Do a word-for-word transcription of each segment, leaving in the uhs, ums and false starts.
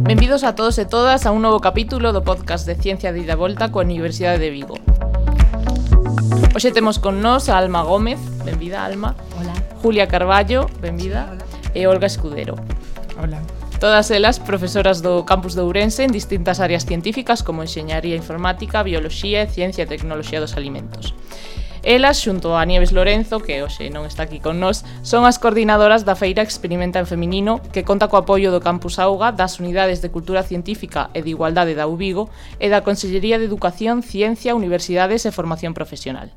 Benvidos a todos e todas a un novo capítulo do podcast de Ciencia de Ida e Volta coa Universidade de Vigo. Hoxe temos con nós a Alma Gómez, benvida Alma. Hola. Julia Carballo, benvida. Hola. E Olga Escudero. Hola. Todas elas profesoras do campus de Ourense en distintas áreas científicas como enxeñaría informática, bioloxía e ciencia e tecnoloxía dos alimentos. Elas, xunto a Nieves Lorenzo, que hoxe non está aquí con nós, son as coordinadoras da Feira Experimenta en Feminino, que conta co apoio do Campus Auga, das Unidades de Cultura Científica e de Igualdade da U Vigo e da Consellería de Educación, Ciencia, Universidades e Formación Profesional.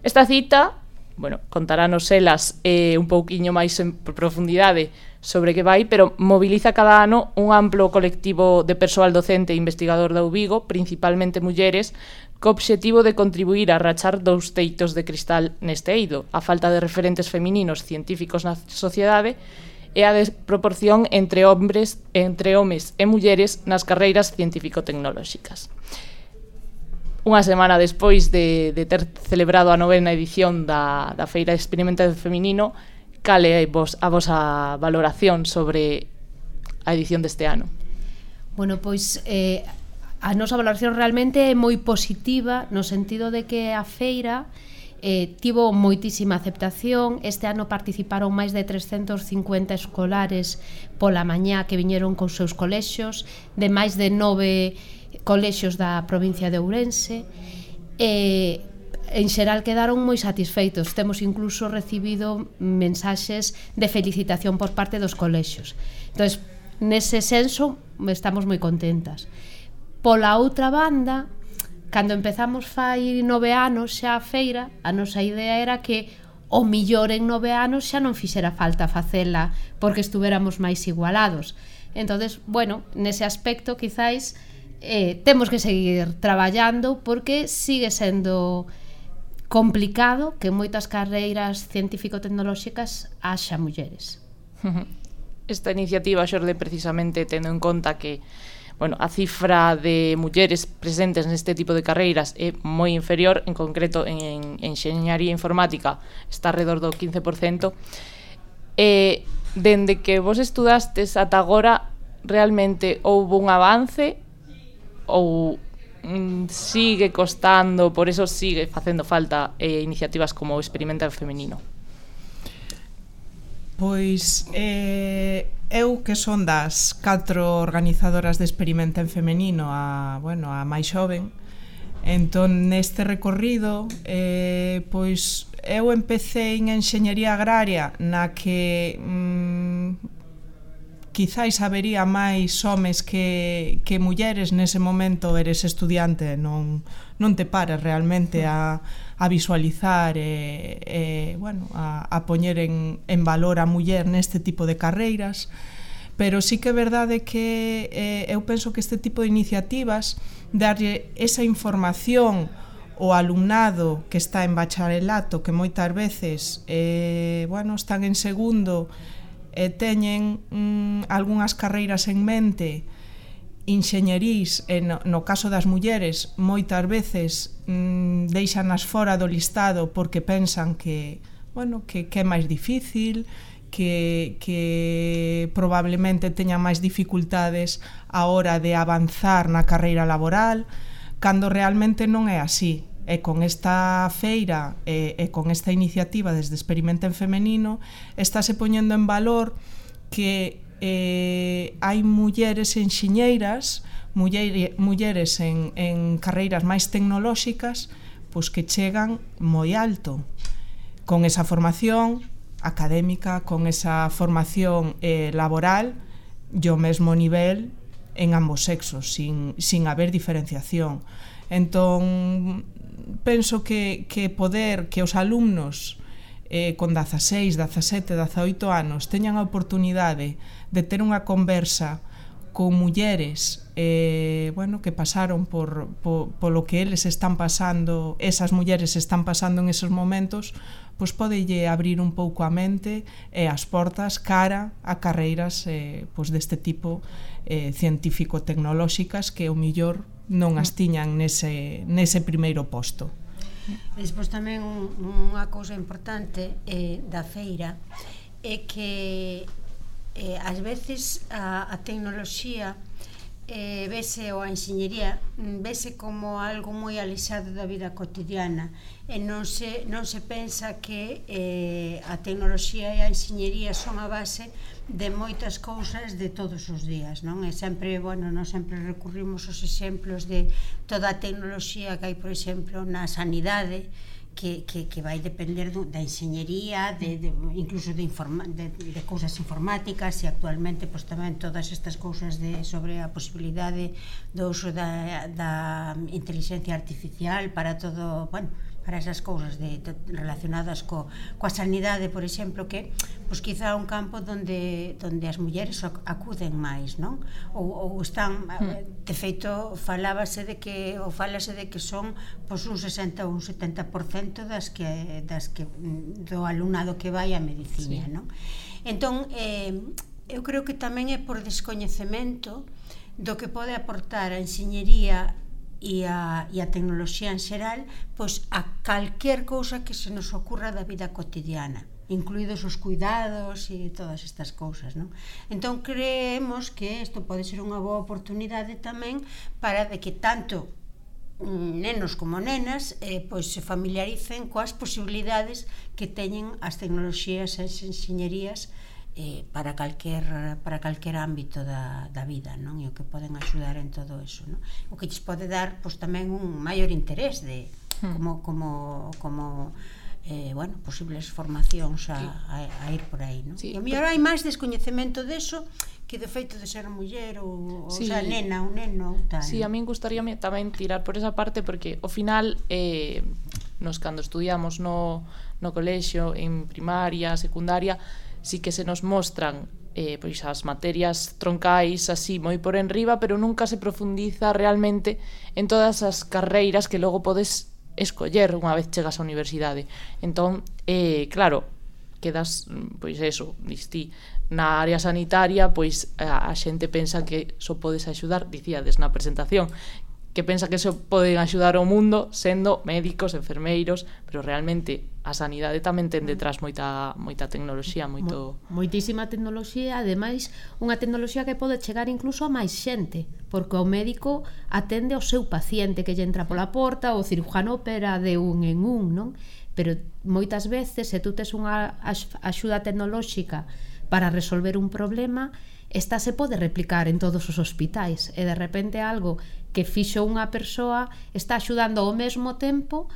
Esta cita, bueno, contarános elas eh, un pouquiño máis en profundidade sobre que vai, pero moviliza cada ano un amplo colectivo de persoal docente e investigador da U Vigo, principalmente mulleres, co obxectivo de contribuir a rachar dous teitos de cristal neste eido, a falta de referentes femininos científicos na sociedade e a desproporción entre hombres, entre homes e mulleres nas carreiras científico-tecnolóxicas. Unha semana despois de, de ter celebrado a novena edición da, da Feira Experimenta en Feminino, cal é vos, a vosa valoración sobre a edición deste ano? Bueno, pois eh, a nosa valoración realmente é moi positiva no sentido de que a feira eh, tivo moitísima aceptación. Este ano participaron máis de trescentos cincuenta escolares pola mañá que viñeron cos seus colexios, de máis de nove colexios da provincia de Ourense, e en xeral quedaron moi satisfeitos. Temos incluso recibido mensaxes de felicitación por parte dos colexios. Entón, nese senso, estamos moi contentas. Pola outra banda, cando empezamos fai nove anos xa a feira, a nosa idea era que o millor en nove anos xa non fixera falta facela porque estuveramos máis igualados. Entonces, bueno, nese aspecto quizáis eh, temos que seguir traballando porque sigue sendo complicado que en moitas carreiras científico-tecnolóxicas haxa mulleres. Esta iniciativa xorde precisamente tendo en conta que bueno, a cifra de mulleres presentes neste tipo de carreiras é moi inferior, en concreto en enxeñaría informática está alrededor do quince por cento. E dende que vos estudastes ata agora, realmente houve un avance ou mm, sigue costando, por eso sigue facendo falta eh, iniciativas como o Experimenta en Feminino? Pois eh, eu que son das catro organizadoras de Experimenta en Femenino a, bueno, a máis xoven, entón neste recorrido eh, pois eu empecé en enxeñería agraria na que mm, quizáis habería máis homes que, que mulleres. Nese momento eres estudiante, non, non te pares realmente a, a visualizar e, e bueno, a, a poñer en, en valor a muller neste tipo de carreiras, pero sí que é verdade que eh, eu penso que este tipo de iniciativas, darlle esa información ao alumnado que está en bacharelato, que moitas veces eh, bueno, están en segundo e teñen mm, algunhas carreiras en mente, enxeñerís, e no, no caso das mulleres moitas veces mm, deixanas fora do listado porque pensan que, bueno, que, que é máis difícil, que, que probablemente teñan máis dificultades a hora de avanzar na carreira laboral, cando realmente non é así. E con esta feira e, e con esta iniciativa desde Experimenta en Femenino estáse poñendo en valor que eh, hai mulleres enxeñeiras, muller, mulleres en, en carreiras máis tecnolóxicas, pois que chegan moi alto con esa formación académica, con esa formación eh, laboral e o mesmo nivel en ambos sexos, sin, sin haber diferenciación. Entón, penso que, que poder que os alumnos eh, con dezaseis, dezasete, dezaoito anos teñan a oportunidade de ter unha conversa con mulleres eh, bueno, que pasaron por, por, por lo que eles están pasando, esas mulleres están pasando en esos momentos, pois podelle abrir un pouco a mente e as portas cara a carreiras eh, pois deste tipo eh, científico-tecnolóxicas que o millor non as tiñan nese, nese primeiro posto. Despois tamén unha cousa importante eh, da feira é que eh, ás veces a, a tecnoloxía eh, vese, ou a enxeñería vese como algo moi alexado da vida cotidiana e non se, non se pensa que eh, a tecnoloxía e a enxeñería son a base de moitas cousas de todos os días, non? E sempre, bueno, non sempre recurrimos aos exemplos de toda a tecnoloxía que hai, por exemplo, na sanidade, que, que, que vai depender do, da enxeñería, de, de, incluso de, informa, de, de cousas informáticas, e actualmente pois, tamén todas estas cousas de, sobre a posibilidade do uso da, da inteligencia artificial para todo, bueno, para esas cousas de, de, relacionadas co, coa sanidade, por exemplo, que pois quizá un campo donde, donde as mulleres acuden máis, non? Ou, ou están, de feito, falábase de que, ou falase de que son pois un sesenta ou un setenta por cento das que, das que do alumnado que vai a medicina, sí. Non? Entón, eh, eu creo que tamén é por descoñecemento do que pode aportar a enxeñería e a, e a tecnoloxía en xeral, pois a calquer cousa que se nos ocurra da vida cotidiana, incluídos os cuidados e todas estas cousas, non? Entón creemos que isto pode ser unha boa oportunidade tamén para de que tanto nenos como nenas eh, pois se familiaricen coas posibilidades que teñen as tecnoloxías e as enxeñerías Eh, para calquer para calquer ámbito da, da vida, non? E o que poden axudar en todo eso, non? O que lles pode dar pois tamén un maior interés de como como como eh, bueno, posibles formacións a, a, a ir por aí, non? Sí. E a mellor hai máis descoñecemento deso que de feito de ser muller ou, sí. O sea, nena ou neno ou tal. Sí, a min gustaríame tamén tirar por esa parte porque ao final eh, nos cando estudiamos no, no colexio, en primaria, secundaria, sí que se nos mostran eh, pois as materias troncais así moi por enriba, pero nunca se profundiza realmente en todas as carreiras que logo podes escoller unha vez chegas á universidade. Entón, eh, claro, quedas, pois eso, distí, na área sanitaria, pois a, a xente pensa que só podes axudar, dicíades na presentación, que pensa que só poden axudar ao mundo sendo médicos, enfermeiros, pero realmente a sanidade tamén ten detrás moita moita tecnoloxía, moito moitísima tecnoloxía, ademais unha tecnoloxía que pode chegar incluso a máis xente, porque o médico atende ao seu paciente que lle entra pola porta, o cirujano opera de un en un, non? Pero moitas veces se tú tes unha axuda tecnolóxica para resolver un problema, esta se pode replicar en todos os hospitais e de repente algo que fixo unha persoa está axudando ao mesmo tempo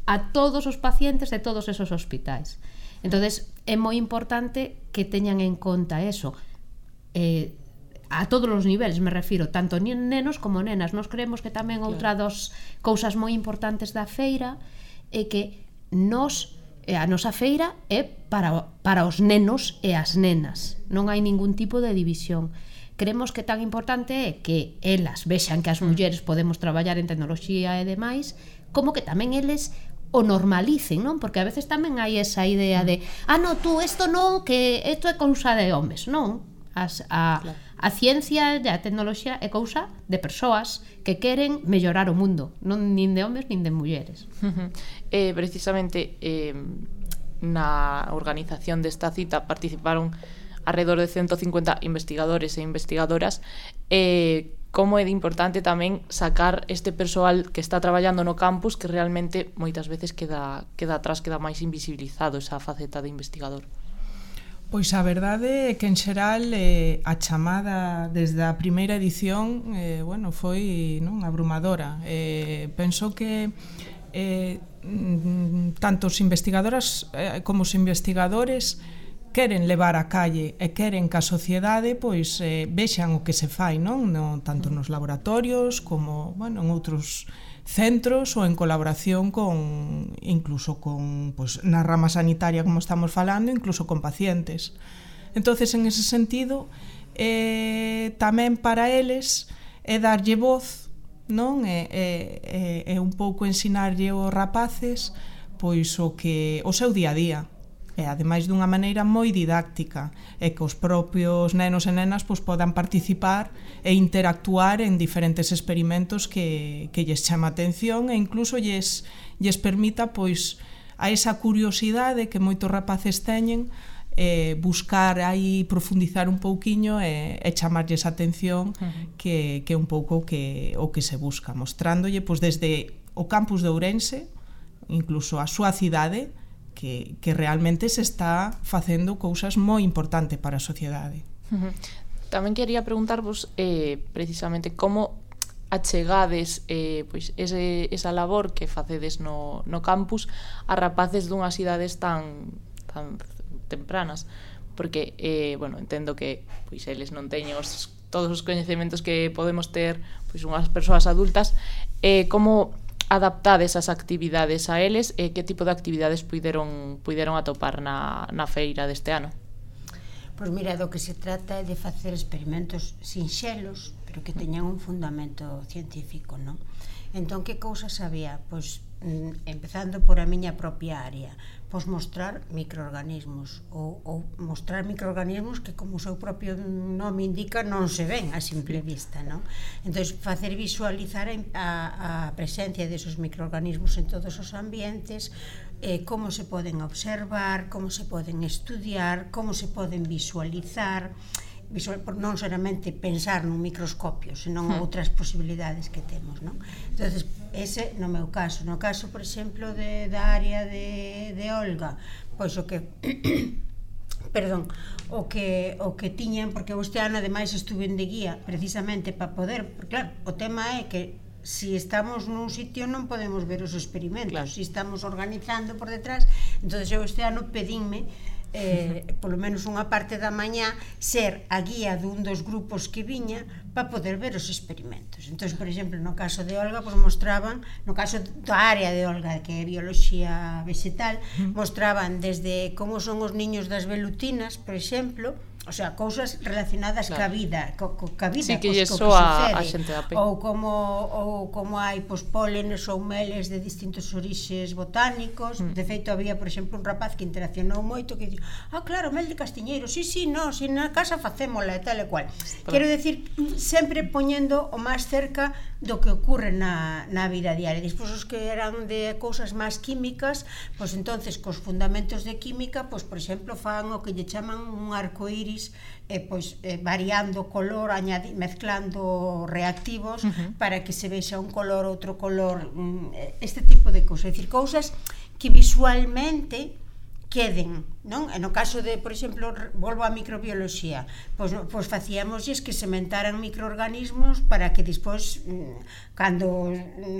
a todos os pacientes de todos esos hospitais. Entonces é moi importante que teñan en conta eso, eh, a todos os niveles me refiro, tanto nenos como nenas. Nos creemos que tamén outra das cousas moi importantes da feira é que nos a nosa feira é para, para os nenos e as nenas, non hai ningún tipo de división. Creemos que tan importante é que elas vexan que as mulleres podemos traballar en tecnoloxía e demais, como que tamén eles o normalicen, non? Porque a veces tamén hai esa idea de ah, no, tú, isto non, que isto é cousa de homes, non? As, a, claro. A ciencia e a tecnoloxía é cousa de persoas que queren mellorar o mundo, non nin de homes nin de mulleres. eh, precisamente eh, na organización desta cita participaron alrededor de ciento cincuenta investigadores e investigadoras. eh, como é de importante tamén sacar este persoal que está traballando no campus, que realmente moitas veces queda, queda atrás, queda máis invisibilizado esa faceta de investigador. Pois a verdade é que en xeral eh, a chamada desde a primeira edición eh, bueno, foi non abrumadora. Eh, penso que eh, tanto os investigadoras eh, como os investigadores queren levar a calle e queren que a sociedade pois eh, vexan o que se fai, non? No, tanto nos laboratorios como, bueno, en outros centros ou en colaboración con incluso con pois na rama sanitaria, como estamos falando, incluso con pacientes. Entonces, en ese sentido, eh, tamén para eles é darlle voz, non? É, é, é un pouco ensinarlle aos rapaces pois o que o seu día a día. e ademais dunha maneira moi didáctica, e que os propios nenos e nenas pois, podan participar e interactuar en diferentes experimentos que, que lles chama a atención e incluso lles, lles permita pois, a esa curiosidade que moitos rapaces teñen, eh, buscar aí, profundizar un pouquiño e, e chamarlles a atención uh-huh. que, que é un pouco que, o que se busca, mostrándolle pois, desde o campus de Ourense, incluso a súa cidade, que, que realmente se está facendo cousas moi importantes para a sociedade. Uh-huh. Tamén quería preguntarvos eh, precisamente como achegades eh, pois ese, esa labor que facedes no, no campus a rapaces dunhas idades tan, tan tempranas, porque eh, bueno, entendo que pois eles non teñen os, todos os coñecementos que podemos ter pois unhas persoas adultas, eh, como adaptades as actividades a eles e eh, que tipo de actividades puideron, puideron atopar na, na feira deste ano? Pois mira, do que se trata é de facer experimentos sinxelos, pero que teñan un fundamento científico, non? Entón, que cousas había? Pois, empezando por a miña propia área, pois mostrar microorganismos ou, ou mostrar microorganismos que, como o seu propio nome indica, non se ven a simple vista, non? Entón, facer visualizar a, a presencia desos microorganismos en todos os ambientes, eh, como se poden observar, como se poden estudiar, como se poden visualizar, visual, non solamente pensar nun microscopio, senón hmm. outras posibilidades que temos, non? Entonces, ese no meu caso. No caso, por exemplo, de, da área de, de Olga, pois o que perdón, o que o que tiñan, porque este ano ademais estuve de guía precisamente para poder, porque claro, o tema é que si estamos nun sitio non podemos ver os experimentos, claro. Si estamos organizando por detrás, entonces eu este ano pedínme Eh, polo menos unha parte da mañá ser a guía dun dos grupos que viña para poder ver os experimentos. Entón, por exemplo, no caso de Olga, pues mostraban, no caso da área de Olga, que é bioloxía vegetal, mostraban desde como son os niños das velutinas, por exemplo, o sea, cousas relacionadas claro. ca vida, co, co, ca vida, sí, que cos, co que a, a sucede, a ou como ou como hai pos pólenes ou meles de distintos orixes botánicos. Mm. De feito, había, por exemplo, un rapaz que interaccionou moito que dixo, ah, claro, mel de castiñeiro, sí, sí, no, si na casa facémola e tal e cual. Pero... Quero decir, sempre poñendo o máis cerca do que ocurre na, na vida diaria. Despois, os que eran de cousas máis químicas, pois entonces, cos fundamentos de química, pois, por exemplo, fan o que lle chaman un arcoíris, eh, pois, eh, variando color, añadi, mezclando reactivos uh-huh. para que se vexa un color, outro color, este tipo de cousas. É dicir, cousas que visualmente queden, non? E no caso de, por exemplo, volvo á microbioloxía, pois, pois facíamosles que sementaran microorganismos para que despois, cando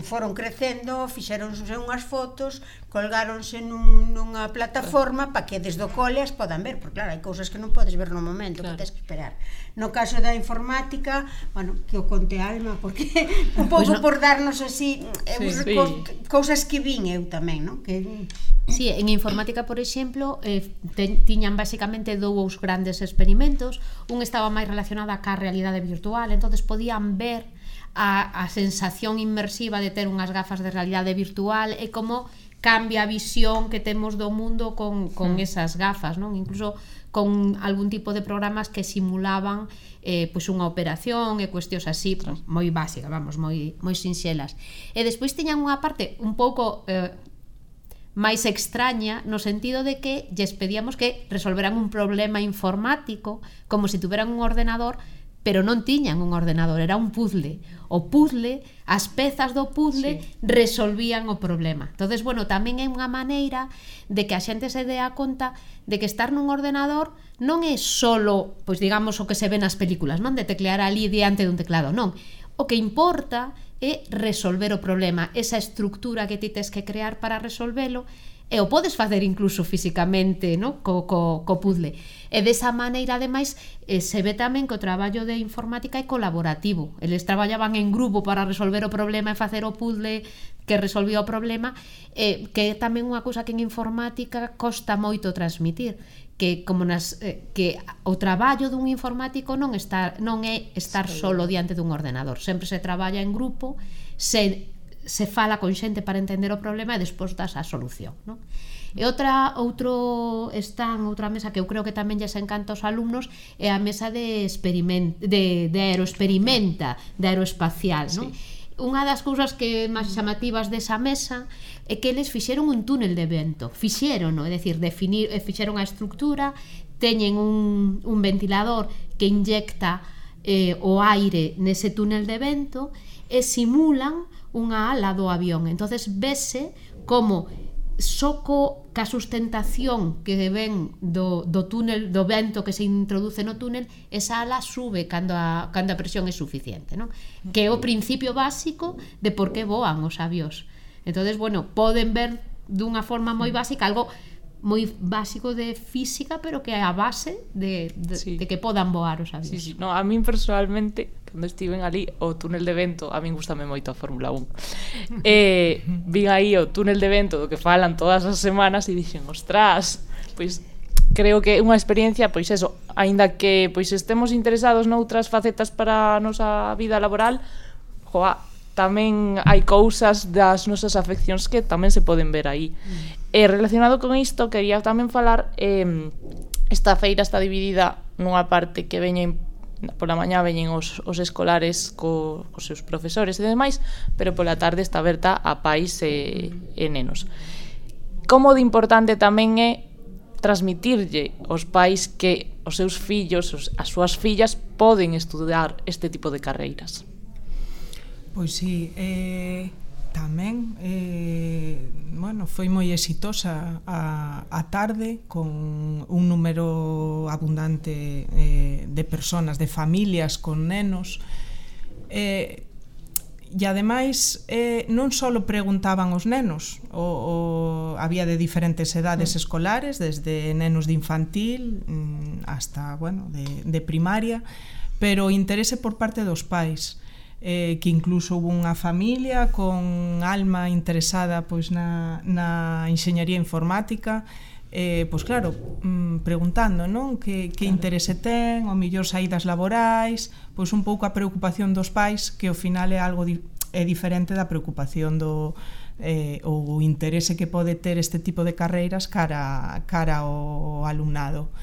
foron crecendo, fixeronse unhas fotos, colgáronse nun, nunha plataforma para que desde o cole as podan ver, porque claro, hai cousas que non podes ver no momento, claro. Que tens que esperar. No caso da informática, bueno, que o conte Alma, porque un pouco pues no. por darnos así sí, sí. cousas que vin eu tamén, non? Que... Sí, en informática, por exemplo, eh, te, tiñan basicamente dous grandes experimentos. Un estaba máis relacionado ca realidade virtual, entonces podían ver a, a sensación inmersiva de ter unhas gafas de realidade virtual e como cambia a visión que temos do mundo con, con mm. esas gafas, non? Incluso con algún tipo de programas que simulaban eh, pois unha operación e cuestións así, pues, moi básicas, vamos, moi, moi sinxelas. E despois tiñan unha parte un pouco eh, máis extraña, no sentido de que lles pedíamos que resolveran un problema informático como se tuveran un ordenador, pero non tiñan un ordenador, era un puzzle. O puzzle, as pezas do puzzle sí. resolvían o problema. Entonces, bueno, tamén é unha maneira de que a xente se dea conta de que estar nun ordenador non é solo, pois digamos, o que se ve nas películas, non? De teclear ali diante dun teclado, non. O que importa é resolver o problema, esa estructura que ti tes que crear para resolvelo, e o podes facer incluso físicamente, no? co, co, co puzzle. E desa maneira, ademais, eh, se ve tamén que o traballo de informática é colaborativo. Eles traballaban en grupo para resolver o problema e facer o puzzle que resolvía o problema, eh, que é tamén unha cousa que en informática costa moito transmitir, que como nas eh, que o traballo dun informático non está non é estar solo diante dun ordenador, sempre se traballa en grupo, se se fala con xente para entender o problema e despois das a solución, non? E outra, outro stand, outra mesa que eu creo que tamén lles encanta aos alumnos é a mesa de experiment, de, de aeroexperimenta, de aeroespacial, non? Sí. Unha das cousas que máis chamativas desa mesa é que eles fixeron un túnel de vento, fixeron, non? É dicir, definir, fixeron a estructura, teñen un, un ventilador que inyecta eh, o aire nese túnel de vento e simulan unha ala do avión. Entonces vese como soco ca sustentación que ven do, do túnel, do vento que se introduce no túnel, esa ala sube cando a, cando a presión é suficiente, non? Que é o principio básico de por que voan os avións. Entonces, bueno, poden ver dunha forma moi básica algo moi básico de física, pero que é a base de, de, sí. de que podan voar os avións. Sí, sí. No, a min personalmente, cando estiven ali o túnel de vento, a min gustame moito a Fórmula un. E vin aí o túnel de vento do que falan todas as semanas e dixen, ostras, pois creo que é unha experiencia, pois eso, aínda que pois estemos interesados noutras facetas para a nosa vida laboral, joa, tamén hai cousas das nosas afeccións que tamén se poden ver aí. Mm. E relacionado con isto, quería tamén falar, eh, esta feira está dividida nunha parte que veñen pola mañá veñen os, os escolares co, cos seus profesores e demais, pero pola tarde está aberta a pais e, e nenos. Como de importante tamén é transmitirlle aos pais que os seus fillos, os, as súas fillas poden estudar este tipo de carreiras. Pois sí, eh, tamén eh, bueno, foi moi exitosa a, a tarde con un número abundante eh, de personas, de familias con nenos, eh, e ademais eh, non só preguntaban os nenos, o, o, había de diferentes edades escolares, desde nenos de infantil hasta, bueno, de, de primaria, pero interese por parte dos pais. Eh, que incluso hubo unha familia con alma interesada pois na, na enxeñaría informática, eh, pois claro, mm, preguntando, non? Que, que claro. Interese ten, o mellor saídas laborais, pois un pouco a preocupación dos pais, que ao final é algo di, é diferente da preocupación do eh, o interese que pode ter este tipo de carreiras cara, cara ao alumnado.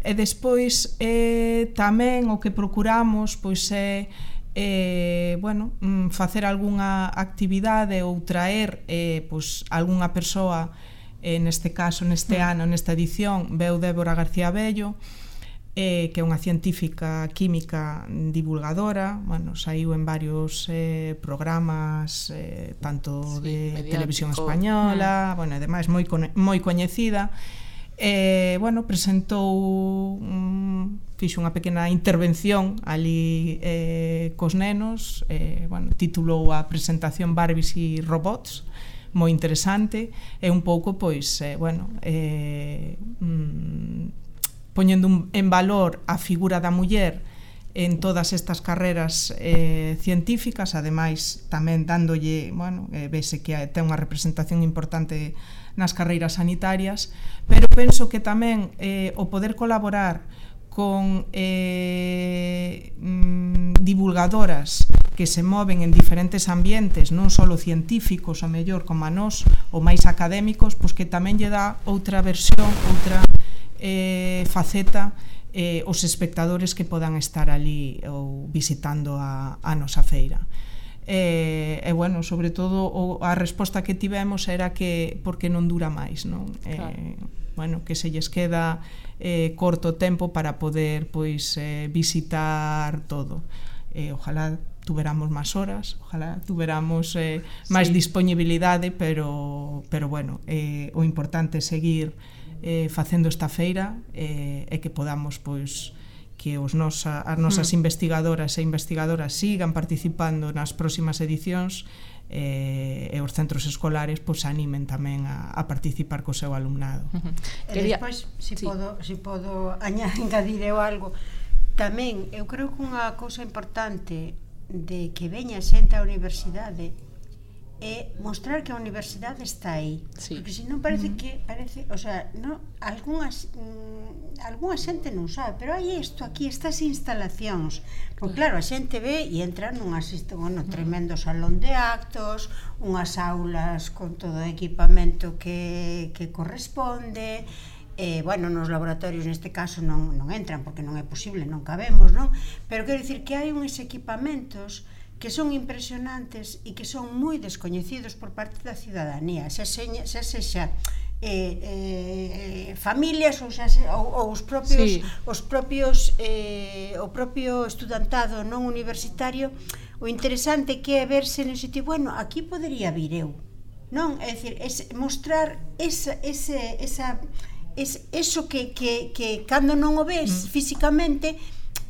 E despois eh, tamén o que procuramos pois é Eh, bueno, facer algunha actividade ou traer eh, pois, algunha persoa, eh, neste caso, neste mm. ano, nesta edición, veu Débora García Bello, eh, que é unha científica química divulgadora, bueno, saiu en varios eh, programas, eh, tanto sí, de mediático. Televisión española, mm. bueno, ademais moi, moi coñecida. Eh, bueno, presentou um, fixo unha pequena intervención ali eh, cos nenos, eh, bueno, titulou a presentación Barbies e Robots, moi interesante, e un pouco, pois, eh, bueno, eh, mm, poñendo un, en valor a figura da muller en todas estas carreras eh, científicas, ademais tamén dándolle, bueno, eh, vese que ten unha representación importante nas carreiras sanitarias, pero penso que tamén eh, o poder colaborar con eh, mm, divulgadoras que se moven en diferentes ambientes, non só científicos, a mellor como a nós, ou máis académicos, pois que tamén lle dá outra versión, outra eh, faceta eh, os espectadores que podan estar ali ou visitando a, a nosa feira. E, e bueno, sobre todo o, a resposta que tivemos era que porque non dura máis, non? Claro. Eh, bueno, que se lles queda eh, corto tempo para poder pois eh, visitar todo. Eh, ojalá tuveramos máis horas, ojalá tuveramos eh, máis sí. disponibilidade, pero pero bueno, eh, o importante é seguir eh, facendo esta feira eh, e que podamos pois que os nosa, as nosas mm. investigadoras e investigadoras sigan participando nas próximas edicións eh, e os centros escolares pois animen tamén a, a participar co seu alumnado. Uh-huh. E despois, se si sí. podo, si podo añadir eu algo, tamén eu creo que unha cousa importante de que veña xente á universidade é mostrar que a universidade está aí, sí. porque se non parece que parece, o sea, no, algunhas mm, algunha xente non sabe, pero hai isto aquí, estas instalacións, porque claro, a xente ve e entra nunha bueno, tremendo salón de actos, unhas aulas con todo o equipamento que, que corresponde. Eh, bueno, nos laboratorios neste caso non, non entran porque non é posible, non cabemos, non? Pero quero dicir que hai uns equipamentos que son impresionantes e que son moi descoñecidos por parte da cidadanía, xa sexa, xa sexa eh, eh, familias ou, xa se, ou, ou os propios, sí. os propios eh, o propio estudantado non universitario. O interesante que é verse no sitio, bueno, aquí podería vir eu, non? É dicir, es mostrar esa, ese, esa, es, eso que, que, que cando non o ves mm. físicamente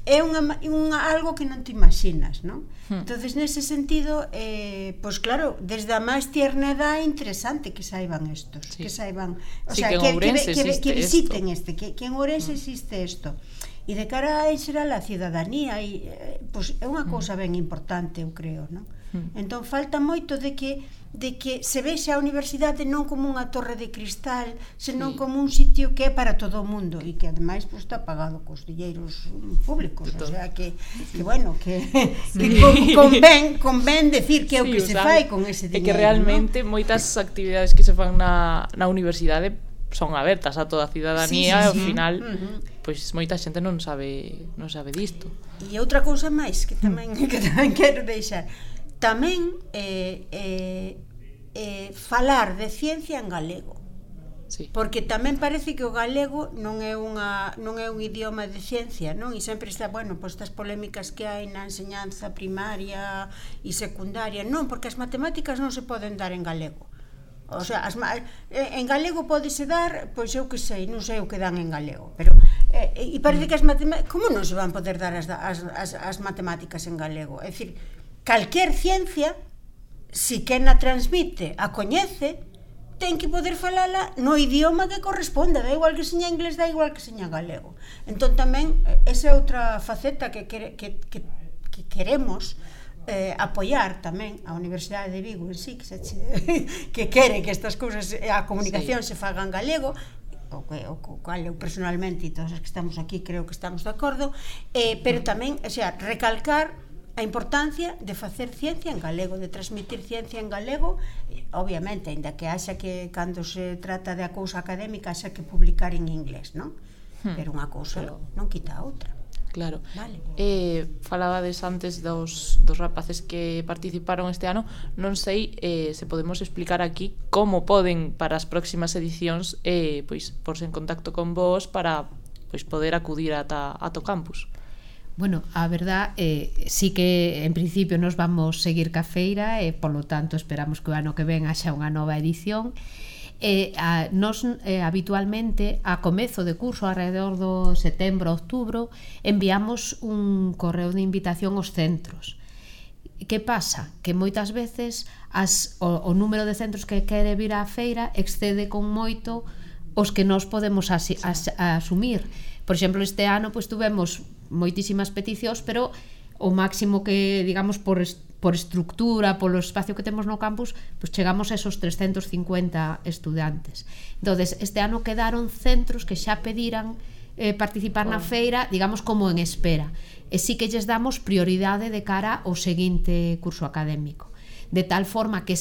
é unha, unha, algo que non te imaginas, non? Hmm. Entonces, nese sentido, eh, pois claro, desde a máis tierna edad é interesante que saiban estos, sí. que saiban, o sí, sea, que, que, que, que, que visiten esto. este, que, que en Ourense hmm. existe isto. E de cara a xeral a cidadanía, e, eh, pois é unha cousa ben importante, eu creo, non? Hmm. Entón, falta moito de que de que se vexe a universidade non como unha torre de cristal, senón sí. como un sitio que é para todo o mundo e que ademais pues, está pagado cos dilleiros públicos, o sea que, que bueno, que, sí. que con, convén, convén decir que é sí, o que o se sea, fai con ese É diñeiro, que realmente ¿no? moitas actividades que se fan na, na universidade son abertas a toda a cidadanía, sí, sí, e ao sí. final uh-huh. pois moita xente non sabe non sabe disto. E outra cousa máis que tamén, que tamén quero deixar, tamén eh, eh, eh, falar de ciencia en galego, sí. porque tamén parece que o galego non é unha non é un idioma de ciencia, non? E sempre está, bueno, pois estas polémicas que hai na enseñanza primaria e secundaria, non, porque as matemáticas non se poden dar en galego. O sea, as, en galego pódese dar, pois eu que sei, non sei o que dan en galego, pero eh, e parece que as matemáticas, como non se van poder dar as, as, as, as matemáticas en galego? É dicir, calquer ciencia, si quen a transmite, a coñece, ten que poder falala no idioma que corresponde, da igual que seña inglés, da igual que seña galego. Entón tamén, esa é outra faceta que, que, que, que, que queremos eh, apoiar tamén a Universidade de Vigo en sí, que, se, que quere que estas cousas, a comunicación sí. se faga en galego, o, que, o cual eu personalmente e todos os que estamos aquí creo que estamos de acordo, eh, pero tamén, o sea, recalcar a importancia de facer ciencia en galego, de transmitir ciencia en galego, obviamente, ainda que haxa que cando se trata de a cousa académica haxa que publicar en inglés, non? Hmm. Pero unha cousa Pero... non quita a outra. Claro. Vale. Eh, falabades antes dos, dos rapaces que participaron este ano. Non sei eh, se podemos explicar aquí como poden para as próximas edicións eh, pois porse en contacto con vos para pois poder acudir ata, ata o campus. Bueno, a verdad, eh, sí que en principio nos vamos seguir ca feira e, polo tanto, esperamos que o ano que ven haxa unha nova edición. Eh, a, nos eh, habitualmente a comezo de curso, alrededor do setembro, outubro, enviamos un correo de invitación aos centros. Que pasa? Que moitas veces as, o, o número de centros que quere vir á feira excede con moito os que nós podemos asi, as, asumir. Por exemplo, este ano pois tuvemos moitísimas peticións, pero o máximo que, digamos, por, por estructura, polo espacio que temos no campus, pois chegamos a esos trescentos cincuenta estudantes. Entonces, este ano quedaron centros que xa pediran eh, participar na feira, digamos, como en espera. E sí que lles damos prioridade de cara ao seguinte curso académico. De tal forma que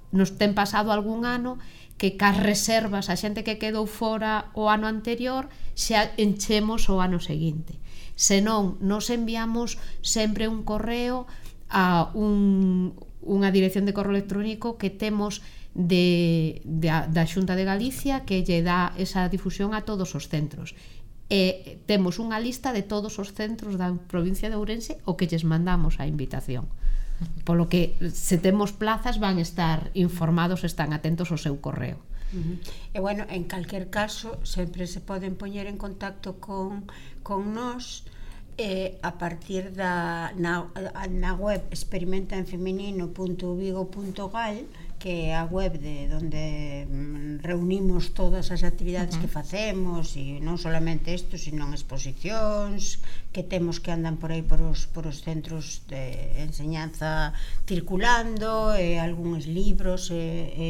nos ten pasado algún ano que cas reservas a xente que quedou fora o ano anterior xa enchemos o ano seguinte. Senón, nos enviamos sempre un correo a un, unha dirección de correo electrónico que temos de, de, da Xunta de Galicia, que lle dá esa difusión a todos os centros. E temos unha lista de todos os centros da provincia de Ourense o que lles mandamos a invitación. Polo que, se temos plazas, van estar informados, están atentos ao seu correo. Uh-huh. E bueno, en calquer caso sempre se poden poñer en contacto con, con nós eh, a partir da na, na web experimenta en femenino punto vigo punto gal, que é a web de donde reunimos todas as actividades uh-huh. que facemos, e non solamente isto, sino exposicións que temos que andan por aí por os, por os centros de enseñanza circulando, e algúns libros, e, e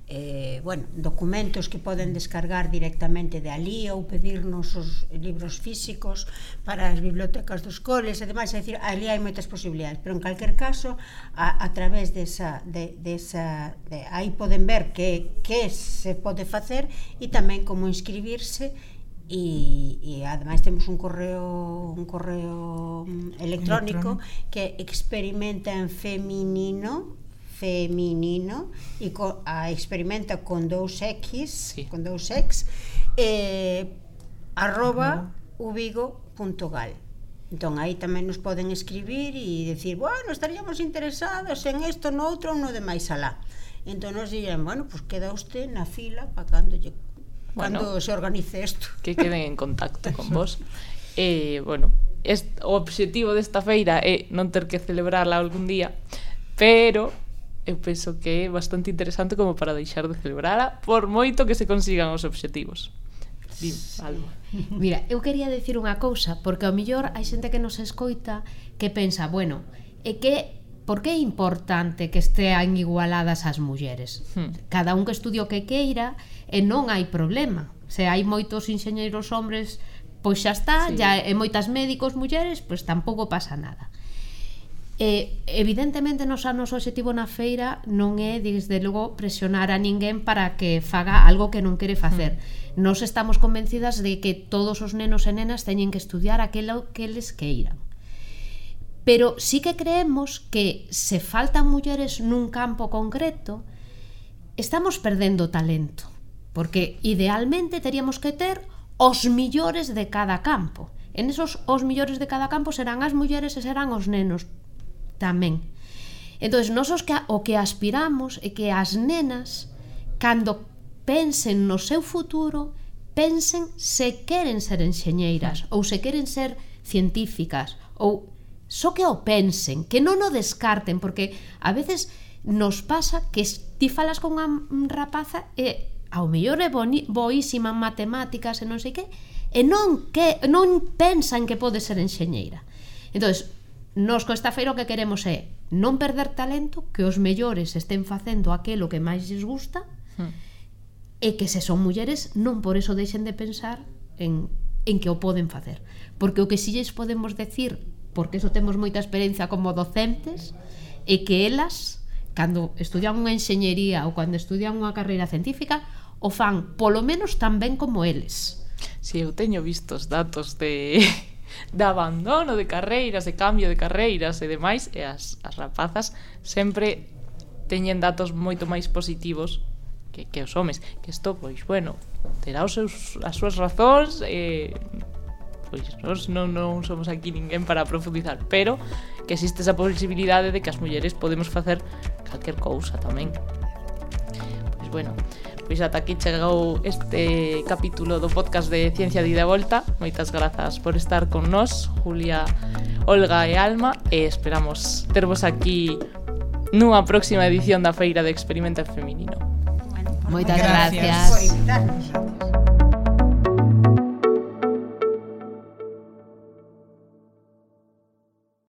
Eh, bueno, documentos que poden descargar directamente de ali ou pedirnos os libros físicos para as bibliotecas dos coles e demais, é dicir, ali hai moitas posibilidades, pero en calquer caso a, a través desa, de, desa de, aí poden ver que, que se pode facer e tamén como inscribirse. E, e ademais temos un correo un correo electrónico, electrónico. que experimenta en feminino feminino e co, a experimenta con dous X, sí. con dous X eh, arroba uh-huh. uvigo punto gal. Entón aí tamén nos poden escribir e decir, bueno, estaríamos interesados en isto, no outro ou no de máis alá. Entón nos dirán, bueno, pues queda usted na fila para cando lle, bueno, cando se organice isto. Que queden en contacto con vos. Eh, bueno, est, o obxectivo desta feira é non ter que celebrarla algún día, pero eu penso que é bastante interesante como para deixar de celebrala por moito que se consigan os obxectivos. Dime, algo. Mira, eu quería decir unha cousa, porque ao mellor hai xente que nos escoita que pensa, bueno, é que por que é importante que estean igualadas as mulleres? Hmm. Cada un que estudie o que queira e non hai problema. Se hai moitos enxeñeiros hombres, pois xa está, sí. ya, e moitas médicos mulleres, pois tampouco pasa nada. Eh, evidentemente nos anos o obxectivo na feira non é desde logo presionar a ninguén para que faga algo que non quere facer. Mm. Nos estamos convencidas de que todos os nenos e nenas teñen que estudiar aquilo que les queiran, pero sí que creemos que se faltan mulleres nun campo concreto estamos perdendo talento, porque idealmente teríamos que ter os millores de cada campo. En esos os millores de cada campo serán as mulleres e serán os nenos tamén. Entón, nós os que, o que aspiramos é que as nenas, cando pensen no seu futuro, pensen se queren ser enxeñeiras ou se queren ser científicas, ou só que o pensen, que non o descarten, porque a veces nos pasa que ti falas con unha rapaza e ao mellor é boni, boísima en matemáticas e non sei que, e non, que, non pensan que pode ser enxeñeira. Entón, nos co esta feira o que queremos é non perder talento, que os mellores estén facendo aquilo que máis lles gusta, hmm. e que se son mulleres non por eso deixen de pensar en, en que o poden facer, porque o que si lles podemos decir, porque eso temos moita experiencia como docentes, é que elas, cando estudian unha enxeñería ou cando estudian unha carreira científica, o fan polo menos tan ben como eles. Si, eu teño vistos datos de de abandono de carreiras, de cambio de carreiras e demais, e as, as rapazas sempre teñen datos moito máis positivos que, que os homes, que isto, pois, bueno, terá os seus, as súas razóns, e pois nós non, non somos aquí ninguén para profundizar, pero que existe esa posibilidade de que as mulleres podemos facer calquer cousa tamén. Pois, bueno, pois ata aquí chegou este capítulo do podcast de Ciencia de Ida e Volta. Moitas grazas por estar con nós, Julia, Olga e Alma, e esperamos tervos aquí nunha próxima edición da Feira de Experimento Feminino. Moitas gracias. gracias.